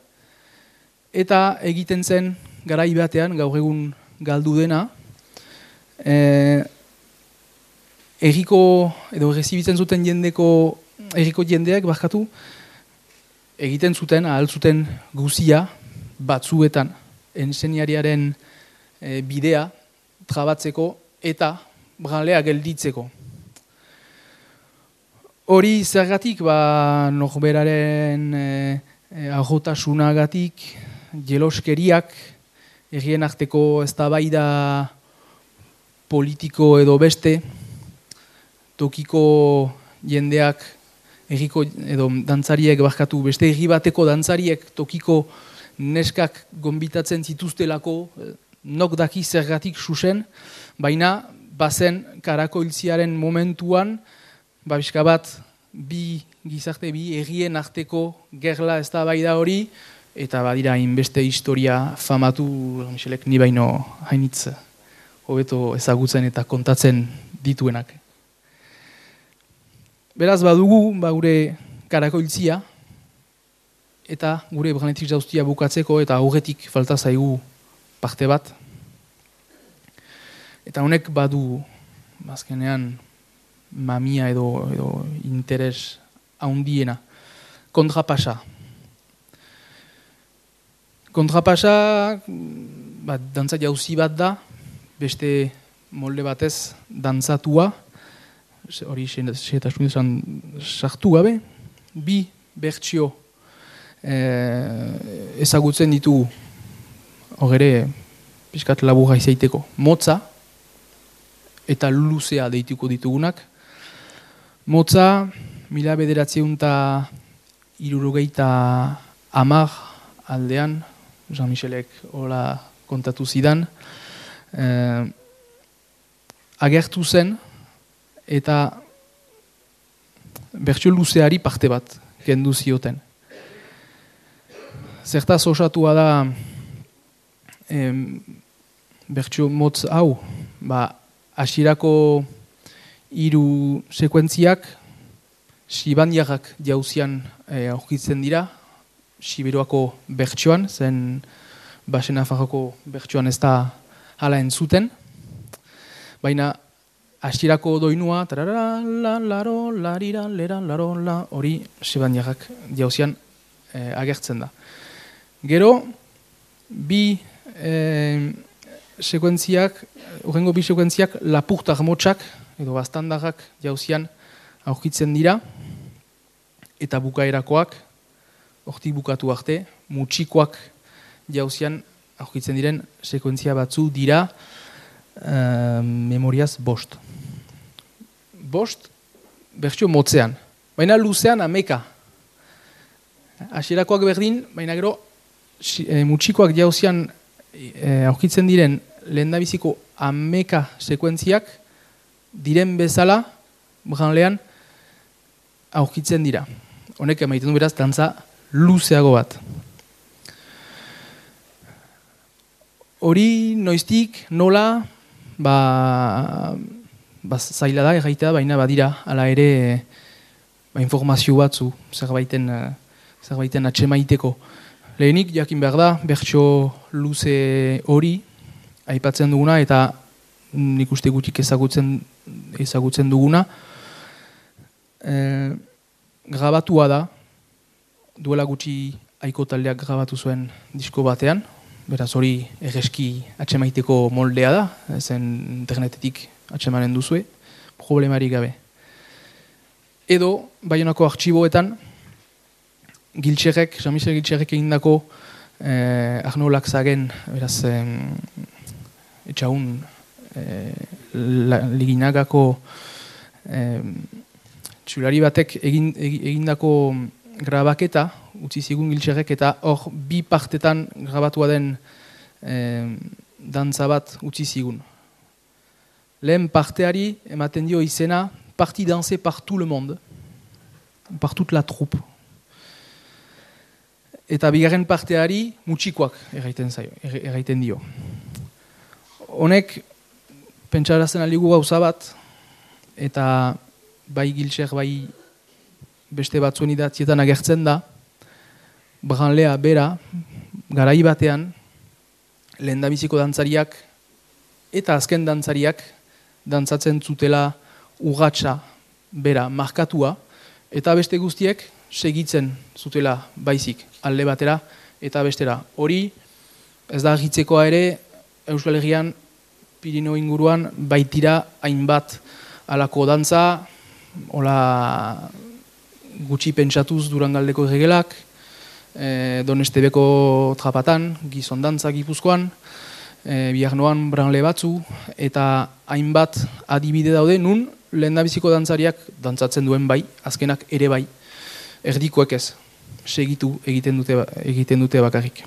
eta egiten zen garai batean, gaur egun galdu dena, erriko, edo errezibitzen zuten erriko jendeak barkatu, egiten zuten, ahal zuten guzia batzuetan enseñariaren bidea trabatzeko eta branlea gelditzeko. Hori zergatik, norberaren ahotasunagatik, jeloskeriak, errien arteko eztabaida politiko edo beste, tokiko jendeak, erriko edo dantzariek barkatu, beste erri bateko dantzariek tokiko neskak gonbitatzen zituztelako, nok daki zergatik susen, baina bazen karakoiltziaren momentuan, bizka bat, bi errien arteko gerla eztabaida hori, eta badira hainbeste historia famatu, Michelek ni baino hainitz hobeto ezagutzen eta kontatzen dituenak. Beraz badugu gure karakoiltzia, eta gure branetik jauztia bukatzeko, eta aurretik falta zaigu parte bat. Eta honek badu, azkenean, mamia edo interes haundiena. Kontrapasa. Kontrapasa, dantza jauzi bat da, beste molde batez dantzatua, hori xetasun izan sartu gabe, bi bertsio ezagutzen ditugu, hor ere, pixkat laburra izaiteko, motza eta luzea deituko ditugunak. Motza, 1970 aldean, Jean-Michelek hola kontatu zidan, agertu zen, eta bertsio luzeari parte bat kendu zioten. Zertaz osatua da bertsio motz hau, hasierako 3 sekuentziak Sibandiarrak jauzian aurkitzen dira, Siberuako bertsioan, zen Basen Nafarroko bertsioan ez da hala entzuten, baina hasierako doinua, hori Sibandiarrak jauzian agertzen da. Gero, bi sekuentziak Urrengo bi sekuentziak lapurtar motxak, edo bastandarrak jauzian aurkitzen dira, eta bukaerakoak, hortik bukatu arte, mutxikoak jauzian aurkitzen diren sekuentzia batzu dira memoriaz bost. Bost, bertxio motzean, baina luzean ameka. Hasierakoak berdin, baina gero mutxikoak jauzian aurkitzen diren lehendabiziko ameka sekuentziak diren bezala branlean aurkitzen dira. Honek emaiten du beraz dantza luzeago bat. Hori noiztik, nola, zaila da, erraitea, baina badira, ala ere informazio batzu, zerbaiten atxemaiteko. Lehenik, jakin behar da, bertso luze hori, aipatzen duguna, eta nik uste gutxik ezagutzen duguna. Grabatua da, duela gutxi aiko taldeak grabatu zuen disko batean, beraz hori erreski atxemaiteko moldea da, ezen internetetik atxemanen duzue, problemari gabe. Edo, Baionako artxiboetan, Jean-Michel Giltxerrek egindako Arno Laxagen, beraz, etxaun Liginagako txulari batek egindako grabaketa, utzi zigun Giltxerrek, eta hor bi partetan grabatua den dantza bat utzi zigun. Lehen parteari ematen dio izena Parti dansé par tout le monde, par toute la troupe. Eta bigarren parteari mutxikoak erraiten dio. Honek, pentsarazten aligu gauza bat, eta bai Giltxer, bai beste batzuen idatzietan agertzen da, branlea bera, garai batean, lehendabiziko dantzariak eta azken dantzariak dantzatzen zutela urratsa bera markatua, eta beste guztiek segitzen zutela baizik alde batera eta bestera. Hori ez da argitzekoa ere Euskal Herrian Pirineo inguruan baitira hainbat alako dantza, hola gutxi pentsatuz Durangaldeko erregelak, Donestebeko trapatan, gizon dantza Gipuzkoan, Biarnoan branle batzu, eta hainbat adibide daude nun lehendabiziko dantzariak dantzatzen duen bai, azkenak ere bai, erdikoek ez, segitu egiten dute bakarrik.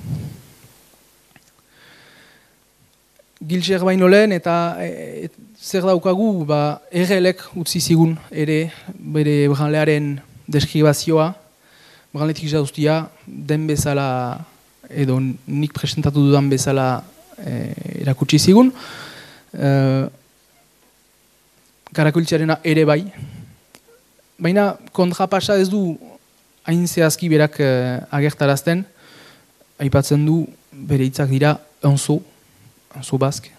Giltxer baino lehen eta zer daukagu, errelek utzi zigun ere bere branlearen deskribazioa, branletik jauztia den bezala edo nik presentatu dudan bezala erakutsi zigun. Karakultxarena ere bai, baina kontrapasa ez du hain zehazki berak agertarazten, aipatzen du bere hitzak dira unzo bask,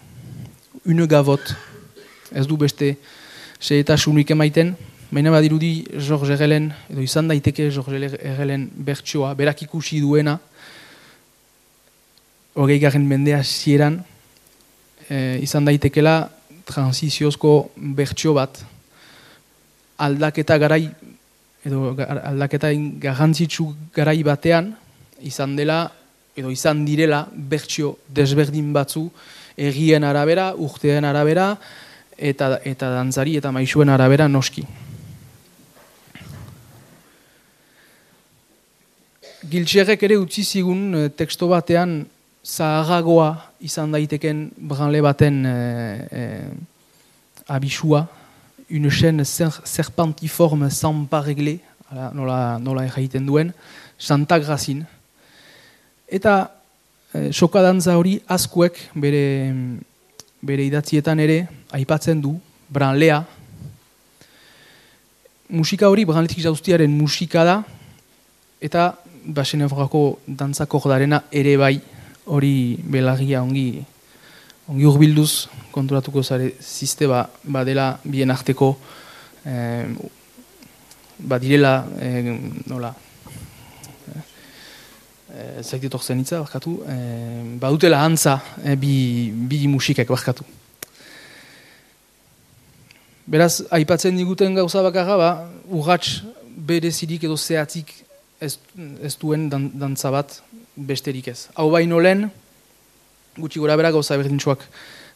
une gavot, ez du beste xehetasunik emaiten, baina badirudi George Herrelen, edo izan daiteke George Herrelen bertsoa, berak ikusi duena, 20. mendea hasieran, izan daitekela transiziozko bertsio bat, aldaketa garai, edo aldaketa garrantzitsu garai batean, izan dela, edo izan direla bertsio desberdin batzu, errien arabera, urteen arabera, eta dantzari eta maisuen arabera noski. Giltxerrek ere utzi zigun teksto batean zaharragoa izan daiteken branle baten abisua, une chaîne serpentiforme sans pas régler, nola erraiten duen, Santa Grazin. Eta sokadantza hori askuek bere idatzietan ere aipatzen du, branlea. Musika hori branletik jauztiaren musika da, eta Baxeneforako dantzakordarena ere bai, hori belargia ongi urbilduz konturatuko zare ziste badela bien arteko badirela nola zaitetor zenitza barkatu badutela antza bi musikak barkatu Beraz, aipatzen diguten gauza bakarra, ba, urrats berezirik edo zehatzik ez duen dantza bat besterik ez. Hau baino lehen, gutxi gora bera gauza berdintxoak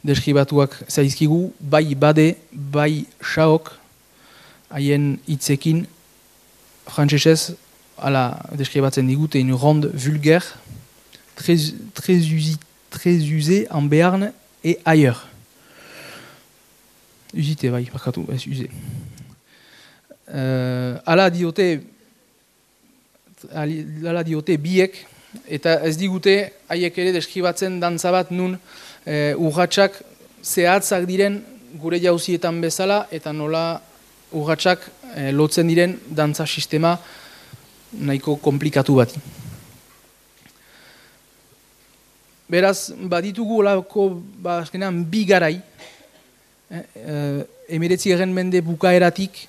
deskribatuak zaizkigu, bai bade, bai xaok, haien hitzekin frantsesez ala deskribatzen digute une ronde vulgaire, très usée en Béarn et ailleurs. Usite bai, bakatu, ez usé. Ala diote biek, eta ez digute haiek ere deskribatzen dantza bat nun urratsak zehatzak diren gure jauzietan bezala, eta nola urratsak lotzen diren dantza sistema nahiko komplikatu bat. Beraz, baditugu olako azkenean bi garai, 19. mende bukaeratik,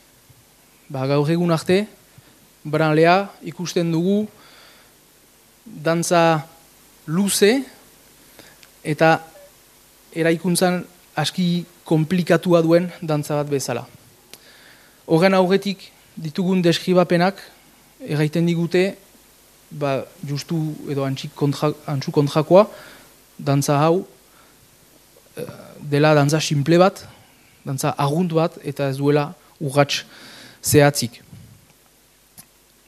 gaur egun arte, branlea ikusten dugu dantza luze eta eraikuntzan aski komplikatua duen dantza bat bezala. Horren aurretik ditugun deskribapenak erraiten digute, justu edo antxu kontrakoa, dantza hau dela dantza simple bat, dantza argunt bat, eta ez duela urrats zehatzik.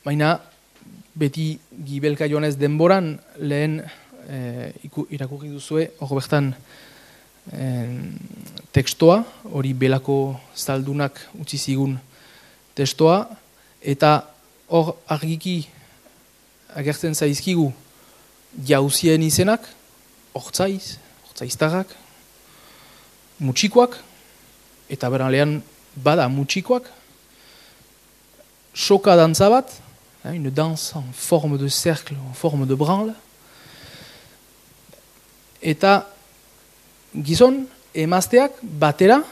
Baina, beti gibelka joanez denboran, lehen irakurri duzue, hor bertan tekstoa, hori belako zaldunak utzi zigun testoa, eta hor argiki agertzen zaizkigu jauzien izenak, hortzaiz, hortzaiztarrak, mutxikoak, eta beranlean bada mutxikoak, soka dantza bat, une danse en forme de cercle, en forme de branle, eta gizon, emazteak batera,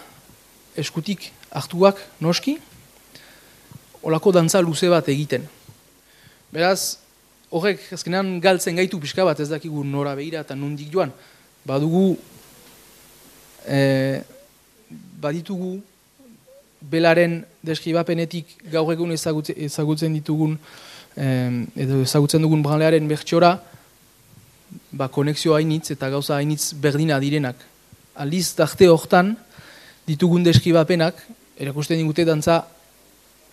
eskutik hartuak noski, olako dantza luze bat egiten. Beraz, horrek azkenean galtzen gaitu pixka bat, ez dakigu nora behira eta nondik joan, baditugu belaren deskribapenetik gaur egun ezagutzen ditugun edo ezagutzen dugun branlearen bertxora konexio hainitz eta gauza hainitz berdina direnak. Aldiz tarte hortan ditugun deskribapenak erakusten digute dantza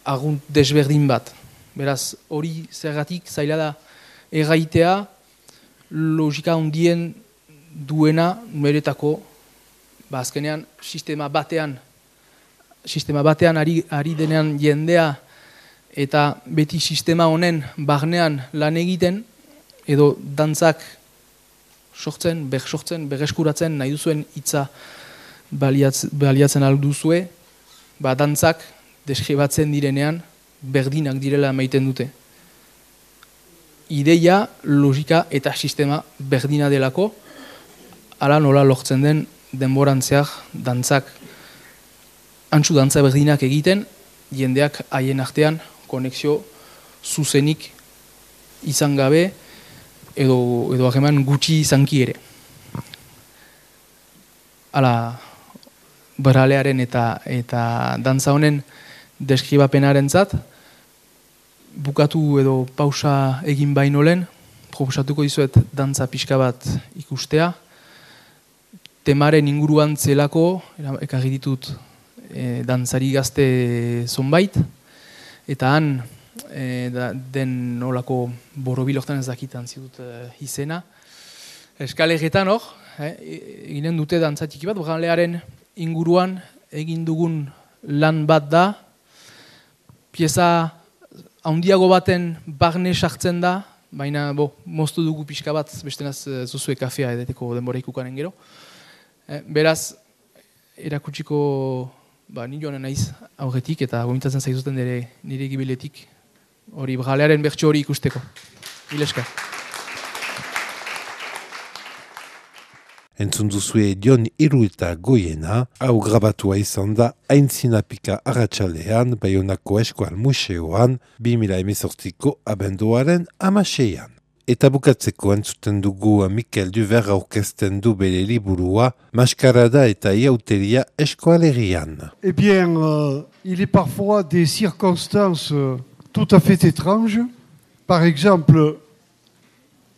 argunt desberdin bat. Beraz, hori zergatik zaila da erraitea logika handien duena numeretako azkenean sistema batean ari denean jendea eta beti sistema honen barnean lan egiten edo dantzak sortzen, berreskuratzen nahi duzuen hitza baliatzen alduzue, dantzak deskribatzen direnean berdinak direla maiten dute. Ideia, logika eta sistema berdina delako, ala nola lortzen den denborantzeak dantzak antzu dantza berdinak egiten, jendeak haien artean konexio zuzenik izan gabe edo hageman gutxi izanki ere. Hala, bralearen eta dantza honen deskribapenaren zat, bukatu edo pausa egin baino lehen, proposatuko dizuet dantza pixka bat ikustea, temaren inguruan zelako, ekarri ditut dantzari gazte zonbait, eta han den nolako borobil hortan ez dakitan zidut izena. Eskalegetan hor, eginen dute dantzatiki bat, branlearen inguruan egin dugun lan bat da, pieza handiago baten barne sartzen da, baina moztu dugu pixka bat, bestenaz zuzue kafea edeteko denbora ikukanen gero. Beraz, erakutsiko ni joanen naiz aurretik eta gomitatzen zaizuten nire gibiletik hori bralearen bertso hori ikusteko. Mileskar. Entzun duzue Jon Irueta Goiena, hau grabatua izan da Aintzinapika arratsalean Baionako Eskual Museoan 2018ko abenduaren 16an. Eta bukatzeko entzuten dugu Mikel Duver aurkezten du bere liburua Maskarada eta Iauteria Eskoalegian. Eh bien, il est parfois des circonstances tout à fait étranges. Par exemple,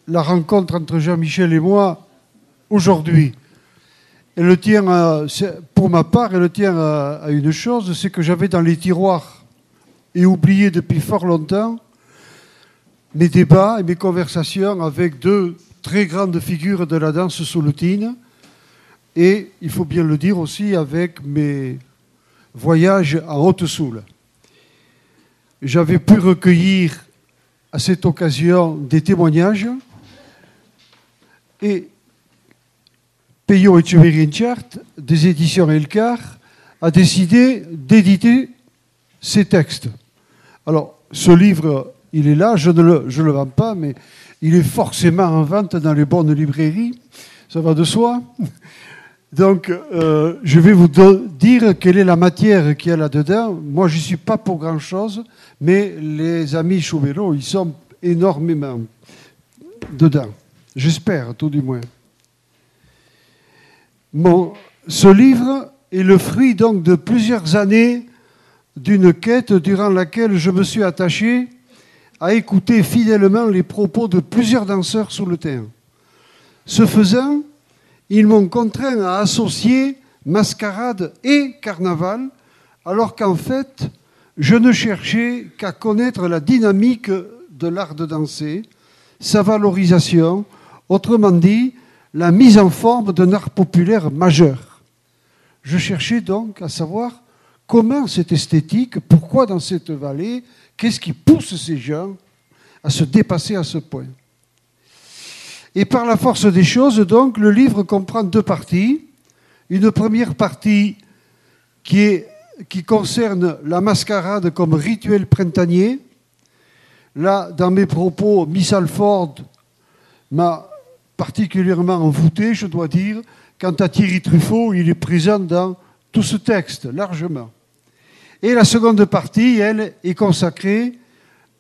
la rencontre entre Jean-Michel et moi aujourd'hui. Elle tient, pour ma part, elle tient à une chose, c'est que j'avais dans les tiroirs et oublié depuis fort longtemps mes débats et mes conversations avec deux très grandes figures de la danse souloutine et, il faut bien le dire aussi, avec mes voyages en Haute-Soule. J'avais pu recueillir à cette occasion des témoignages et Peyo Etcheverry-Enchart, des éditions Elcar, a décidé d'éditer ces textes. Alors, ce livre, il est là, je ne le vends pas, mais il est forcément en vente dans les bonnes librairies, ça va de soi. Donc, je vais vous dire quelle est la matière qu'il y a là-dedans. Moi, je n'y suis pas pour grand-chose, mais les amis Chauvelot, ils sont énormément dedans. J'espère, tout du moins. Ce livre est le fruit donc de plusieurs années d'une quête durant laquelle je me suis attaché à écouter fidèlement les propos de plusieurs danseurs sous le terrain. Ce faisant, ils m'ont contraint à associer mascarade et carnaval, alors qu'en fait, je ne cherchais qu'à connaître la dynamique de l'art de danser, sa valorisation, autrement dit, la mise en forme d'un art populaire majeur. Je cherchais donc à savoir comment cette esthétique, pourquoi dans cette vallée, qu'est-ce qui pousse ces gens à se dépasser à ce point. Et par la force des choses, donc, le livre comprend deux parties. Une première partie qui concerne la mascarade comme rituel printanier. Là, dans mes propos, Miss Alford m'a particulièrement envoûté, je dois dire. Quant à Thierry Truffaut, il est présent dans tout ce texte, largement. Et la seconde partie, elle, est consacrée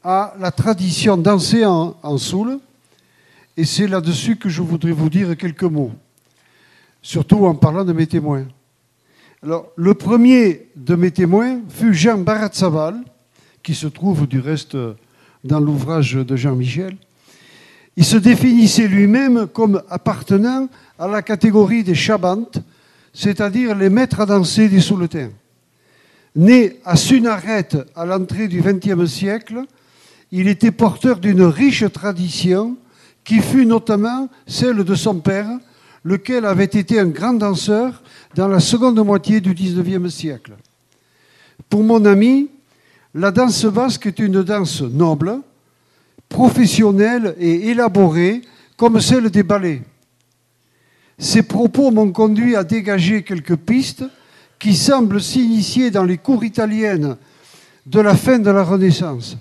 à la tradition dansée en Soule. Et c'est là-dessus que je voudrais vous dire quelques mots, surtout en parlant de mes témoins. Alors, le premier de mes témoins fut Jean Baratzaval, qui se trouve du reste dans l'ouvrage de Jean-Michel. Il se définissait lui-même comme appartenant à la catégorie des chabantes, c'est-à-dire les maîtres à danser des souletins. Né à Sunaret à l'entrée du XXe siècle, il était porteur d'une riche tradition qui fut notamment celle de son père, lequel avait été un grand danseur dans la seconde moitié du XIXe siècle. Pour mon ami, la danse basque est une danse noble, professionnelle et élaborée comme celle des ballets. Ces propos m'ont conduit à dégager quelques pistes qui semblent s'initier dans les cours italiennes de la fin de la Renaissance.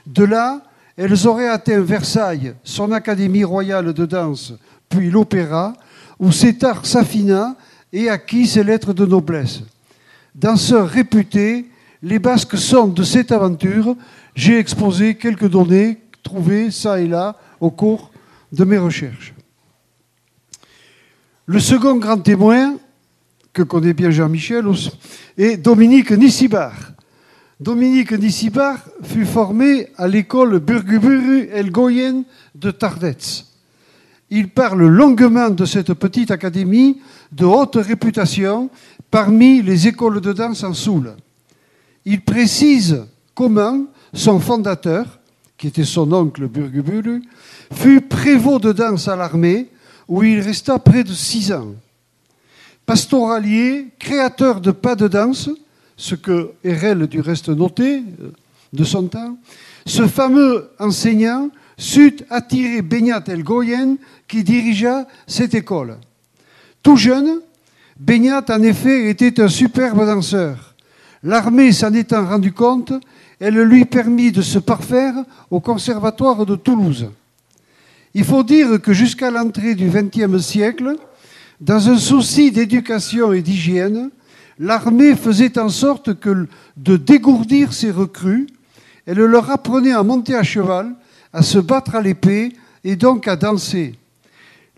De là, elles auraient atteint Versailles, son académie royale de danse, puis l'opéra, où cet art s'affina et acquit ses lettres de noblesse. Danseurs réputés, les Basques sont de cette aventure. J'ai exposé quelques données trouvées ça et là au cours de mes recherches. Le second grand témoin, que connaît bien Jean-Michel, est Dominique Nissibar. Dominique Nissibar fut formé à l'école Burguburu Elgoyen de Tardets. Il parle longuement de cette petite académie de haute réputation parmi les écoles de danse en Soule. Il précise comment son fondateur, qui était son oncle Burguburu, fut prévôt de danse à l'armée où il resta près de 6 ans. Pastoralier, créateur de pas de danse, ce que Hérel du reste notait de son temps, ce fameux enseignant sut attirer Beñat Elgoyen qui dirigea cette école. Tout jeune, Beñat en effet était un superbe danseur. L'armée s'en étant rendu compte, elle lui permit de se parfaire au conservatoire de Toulouse. Il faut dire que jusqu'à l'entrée du XXe siècle, dans un souci d'éducation et d'hygiène, l'armée faisait en sorte de dégourdir ses recrues. Elle leur apprenait à monter à cheval, à se battre à l'épée, et donc à danser.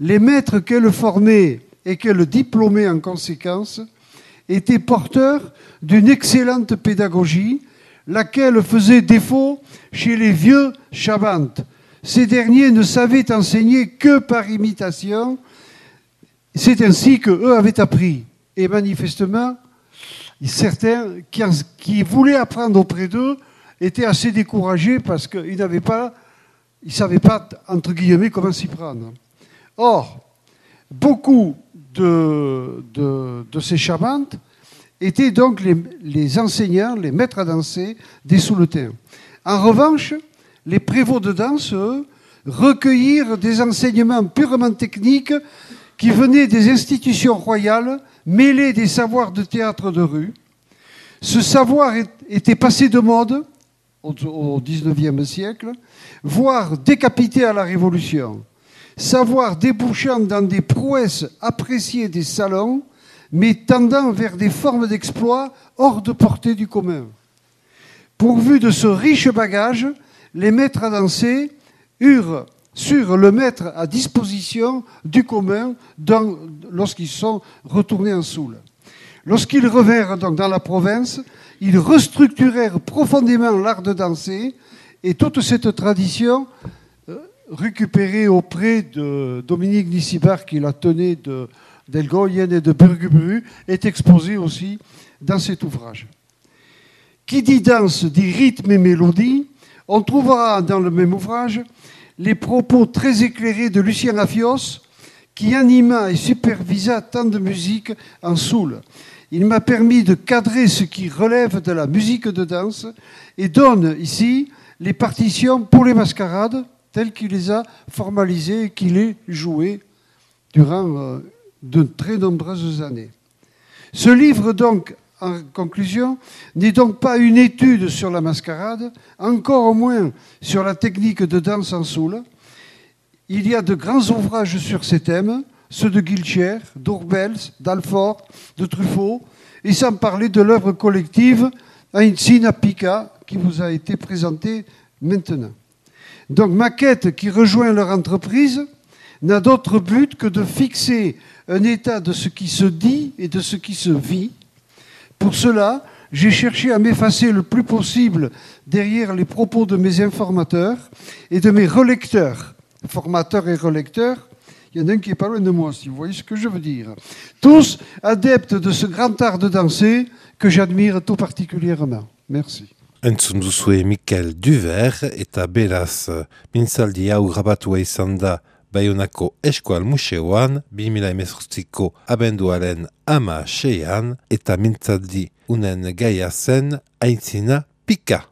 Les maîtres qu'elle formait et qu'elle diplômait en conséquence étaient porteurs d'une excellente pédagogie, laquelle faisait défaut chez les vieux chabantes. Ces derniers ne savaient enseigner que par imitation. C'est ainsi qu'eux avaient appris. Et manifestement, certains qui voulaient apprendre auprès d'eux étaient assez découragés parce qu'ils ne savaient pas, entre guillemets, comment s'y prendre. Or, beaucoup de ces chabantes étaient donc les enseignants, les maîtres à danser des Souletins. En revanche, les prévôts de danse, eux, recueillirent des enseignements purement techniques qui venaient des institutions royales, mêlés des savoirs de théâtre de rue. Ce savoir était passé de mode au XIXe siècle, voire décapité à la Révolution. Savoir débouchant dans des prouesses appréciées des salons, mais tendant vers des formes d'exploit hors de portée du commun. Pourvus de ce riche bagage, les maîtres à danser surent le mettre à disposition du commun lorsqu'ils sont retournés en Soule. Lorsqu'ils revinrent donc dans la province, ils restructurèrent profondément l'art de danser et toute cette tradition récupérée auprès de Dominique Nissibar, qui la tenait d'Elgoyen et de Burgubru, est exposée aussi dans cet ouvrage. Qui dit danse dit rythme et mélodie. On trouvera dans le même ouvrage les propos très éclairés de Lucien Afios, qui anima et supervisa tant de musique en Soule. Il m'a permis de cadrer ce qui relève de la musique de danse et donne ici les partitions pour les mascarades telles qu'il les a formalisées et qu'il les jouées durant de très nombreuses années. Ce livre, donc, en conclusion, n'est donc pas une étude sur la mascarade, encore moins sur la technique de danse en Soule. Il y a de grands ouvrages sur ces thèmes, ceux de Guilcher, d'Ourbels, d'Alfort, de Truffaut, et sans parler de l'œuvre collective Ainsina Pica qui vous a été présentée maintenant. Donc ma quête qui rejoint leur entreprise n'a d'autre but que de fixer un état de ce qui se dit et de ce qui se vit. Pour cela, j'ai cherché à m'effacer le plus possible derrière les propos de mes informateurs et de mes relecteurs, formateurs et relecteurs. Il y en a un qui est pas loin de moi, si vous voyez ce que je veux dire. Tous adeptes de ce grand art de danser que j'admire tout particulièrement. Merci. Entzun duzue Mikel Duver eta beraz mintzaldi hau grabatua izan da Baionako Eskual Museoan 2018ko abenduaren 16an eta mintzaldi unen gaia zen Aintzina Pika.